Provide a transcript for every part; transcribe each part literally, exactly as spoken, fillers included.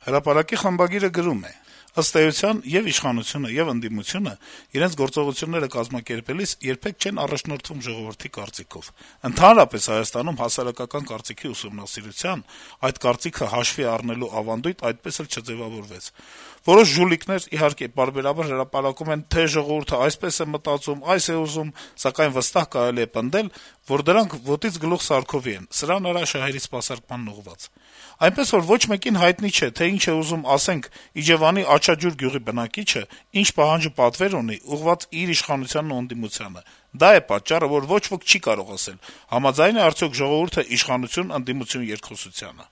Հրապարակի խմբագիրը գրում է. - «Ըստ էության եւ իշխանությունը, եւ ընդդիմությունը իրենց գործողությունները կազմակերպելիս երբեք չեն առաջնորդվում ժողովրդի կարծիքով։ Ընդհանրապես Հայաստանում հասարակական կարծիքի ուսումնասիրության, այդ կարծիքը հաշվի առնելու ավանդույթ այդպես էլ չձեւավորվեց։ Որոշ ժուլիկներ, իհարկե, պարբերաբար հրապարակում են, թե ժողովուրդը այսպես է մտածում, այս է ուզում, սակայն վստահ կարելի է պնդել, որ դրանք ոտից գլուխ սարքովի են, սրան արա շահերի սպասարկմանն ուղղված։ Այնպես որ ոչ մեկին հայտնի չէ, թե ինչ է ուզում, ասենք, Իջեւանի Աչաջուր գյուղի բնակիչը, ինչ պահանջ ու պատվեր ունի, ուղղված իր իշխանությանն ու ընդդիմությանը։ Դա է պատճառը, որ ոչ ոք չի կարող ասել, համաձայն է արդյոք ժողովուրդը իշխանություն-ընդդիմություն երկխոսությանը»։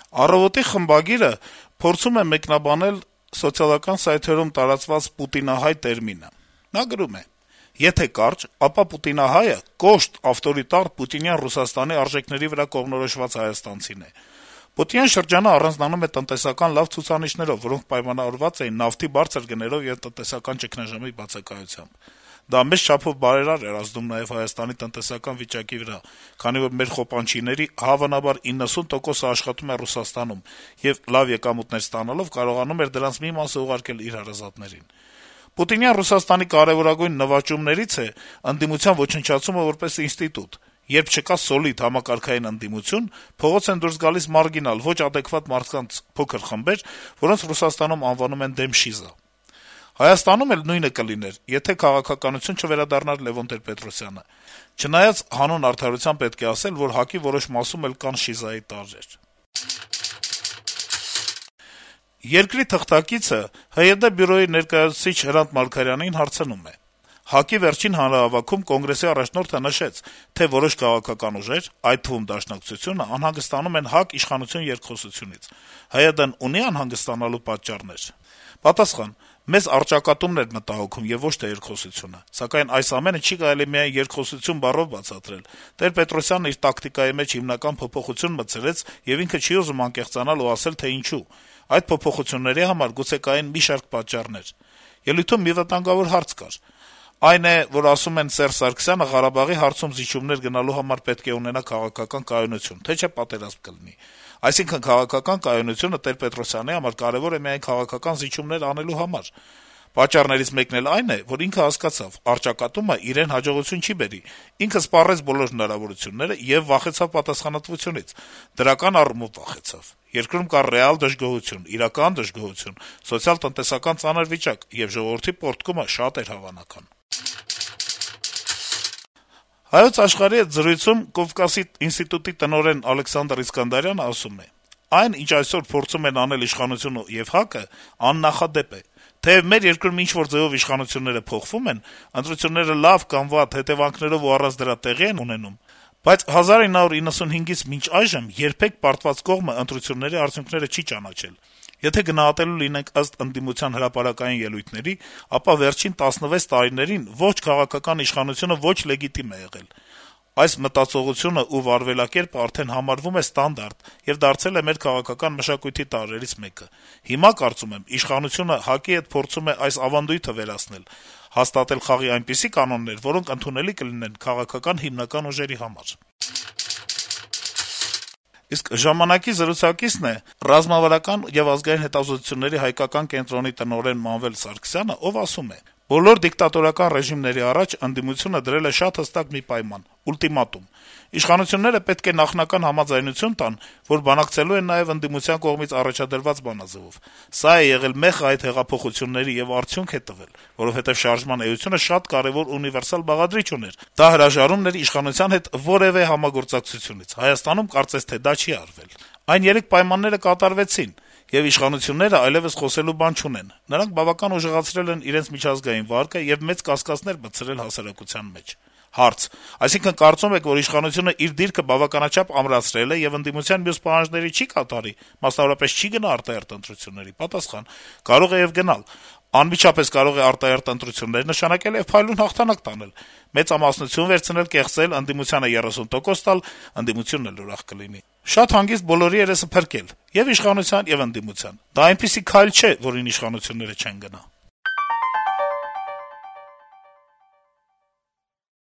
«Առավոտ»-ի խմբագիրը փորձում է մեկնաբանել սոցիալական սայթերում տարածված «պուտինահայ» տերմինը։ Նա գրում է. - «Եթե կարճ, ապա պուտինահայը կոշտ, ավտորիտար պուտինյան Ռուսաստանի արժեքների վրա կողմնորոշված հայաստանցին է։ Պուտինյան շրջանը առանձնանում է տնտեսական լավ ցուցանիշներով, որոնք պայմանավորված էին նավթի բարձր գներով եւ տնտեսական ճգնաժամի բացակայությամբ։ Դա մեծ չափով բարերար էր ազդում նաեւ Հայաստանի տնտեսական վիճակի վրա, քանի որ մեր խոպանչիների հավանաբար իննսուն տոկոսը աշխատում է Ռուսաստանում եւ լավ եկամուտներ ստանալով կարողանում էր դրանց մի մասը ուղարկել իր հարազատներին։ Պուտինյան Ռուսաստանի կարեւորագույն նվաճումներից է ընդդիմության ոչնչացումը որպես ինստիտուտ։ Երբ չկա սոլիդ համակարգային ընդդիմություն, փողոց են դուրս գալիս մարգինալ, ոչ ադեկվատ մարդկանց փոքր խմբեր, որոնց Ռուսաստանում անվանում են դեմշիզա։ Հայաստանում էլ նույնը կլիներ, եթե քաղաքականություն չվերադառնար Լեւոն Տեր-Պետրոսյանը։ Չնայած հանուն արդարության պետք է ասել, որ ՀԱԿ-ի որոշ մասում էլ կան շիզայի տարրեր»։ «Երկրի» թղթակիցը ՀՅԴ բյուրոյի ներկայացուցիչ Հրանտ Մարգարյանին հարցնում է. - «ՀԱԿ-ի վերջին հանրահավաքում Կոնգրեսի առաջնորդը նշեց, թե որոշ քաղաքական ուժեր, այդ թվում Դաշնակցությունը, անհանգստանում են ՀԱԿ իշխանություն երկխոսությունից։ ՀՅԴ-ն ունի անհանգստանալու պատճառներ»։ Պատասխան. - «Մեզ առճակատումն էր մտահոգում եւ ոչ թե երկխոսությունը, սակայն այս ամենը չի կարելի միայն երկխոսություն բառով բացատրել։ Տեր-Պետրոսյանն իր տակտիկայի մեջ հիմնական փոփոխություն մտցրեց եւ ինքը չի ուզում անկեղծանալ ու ասել, թե ինչու։ Այդ փոփոխությունների համար գուցե կային մի շարք պատճառներ։ Ելույթում մի վտանգավոր հարց կար։ Այն է, որ ասում են Սերժ Սարգսյանը Ղարաբաղի հարցում զիջումներ գնալու համար պետք է ունենա քաղաքական կայունություն, թե չէ պատերազմ կլինի։ Այսինքն քաղաքական կայունությունը Տեր-Պետրոսյանի համար կարեւոր է միայն քաղաքական զիջումներ անելու համար։ Պատճառներից մեկն էլ այն է, որ ինքը հասկացավ, առճակատումը իրեն հաջողություն չի բերի, ինքը սպառեց բոլոր հնարավորությունները եւ վախեցավ պատասխանատվությունից, դրական առումով վախեցավ։ Երկրում կար ռեալ դժգոհություն, իրական դժգոհություն, սոցիալ-տնտեսական ծանր վիճակ, եւ ժողովրդի պոռթկումը շատ էր հավանական»։ «Հայոց Աշխարհ»-ի հետ զրույցում Կովկասի ինստիտուտի տնօրեն Ալեքսանդր Իսկանդարյանը ասում է. - «Այն, ինչ այսօր փորձում են անել իշխանությունը եւ ՀԱԿ-ը, աննախադեպ է։ Թեեւ մեր երկրում ինչ-որ ձեւով իշխանությունները փոխվում են, ընտրությունները լավ կամ վատ հետեւանքներով ու առանց դրա տեղի են ունենում, բայց հազար ինը հարյուր իննսունհինգից մինչ այժմ երբեք պարտված կողմը ընտրությունների արդյունքները չի ճանաչել։ Եթե գնահատելու լինենք ըստ ընդդիմության հրապարակային ելույթների, ապա վերջին տասնվեց տարիներին ոչ քաղաքական իշխանությունը ոչ լեգիտիմ է եղել։ Այս մտածողությունը ու վարվելակերպը արդեն համարվում է ստանդարտ եւ դարձել է մեր քաղաքական մշակույթի տարրերից մեկը։ Հիմա, կարծում եմ, իշխանությունը ՀԱԿ-ի հետ փորձում է այս ավանդույթը վերացնել, հաստատել խաղի այնպիսի կանոններ, որոնք ընդունելի կլինեն քաղաքական հիմնական ուժերի համար»։ Իսկ «Ժամանակ»-ի զրուցակիցն է ռազմավարական եւ ազգային հետազոտությունների հայկական կենտրոնի տնօրեն Մանվել Սարգսյանը, ով ասում է. - «Բոլոր դիկտատորական ռեժիմների առաջ ընդդիմությունը դրել է շատ հստակ մի պայման՝ ուլտիմատում։ Իշխանությունները պետք է նախնական համաձայնություն տան, որ բանակցելու են նաեւ ընդդիմության կողմից առաջադրված բանաձեւով։ Սա է եղել մեխը այդ հեղափոխությունների եւ արդյունք է տվել, որովհետեւ շարժման էությունը շատ կարեւոր ունիվերսալ բաղադրիչ ուներ։ Դա հրաժարումն էր իշխանության հետ որեւէ համագործակցությունից։ Հայաստանում կարծես թե դա չի արվել։ Այն երեք պայմանները կատարվեցին, եւ իշխանությունները այլեւս խոսելու բան չունեն։ Նրանք բավական ուժեղացրել են իրենց միջազգային վարկը եւ մեծ կասկածներ մտցրել հասարակության մեջ»։ Հարց. - Այսինքն կարծում եք, որ իշխանությունը իր դիրքը բավականաչափ ամրացրել է եւ ընդդիմության մյուս պահանջների չի կատարի, մասնավորապես չի գնա արտահերթ ընտրությունների։ Պատասխան. - Կարող է եւ գնալ։ Անմիջապես կարող է արտահերթ ընտրություններ նշանակել եւ փայլուն հաղթանակ տանել, մեծամասնություն վերցնել, կեղծել, ընդդիմությանը երեսուն տոկոս տալ, ընդդիմությունն էլ ուրախ կլինի։ Շատ հանգիստ բոլորի երեսը փրկել՝ եւ իշխանության, եւ ընդդիմության։ Դա այնպիսի քայլ չէ, որին իշխանությունները չեն գնա»։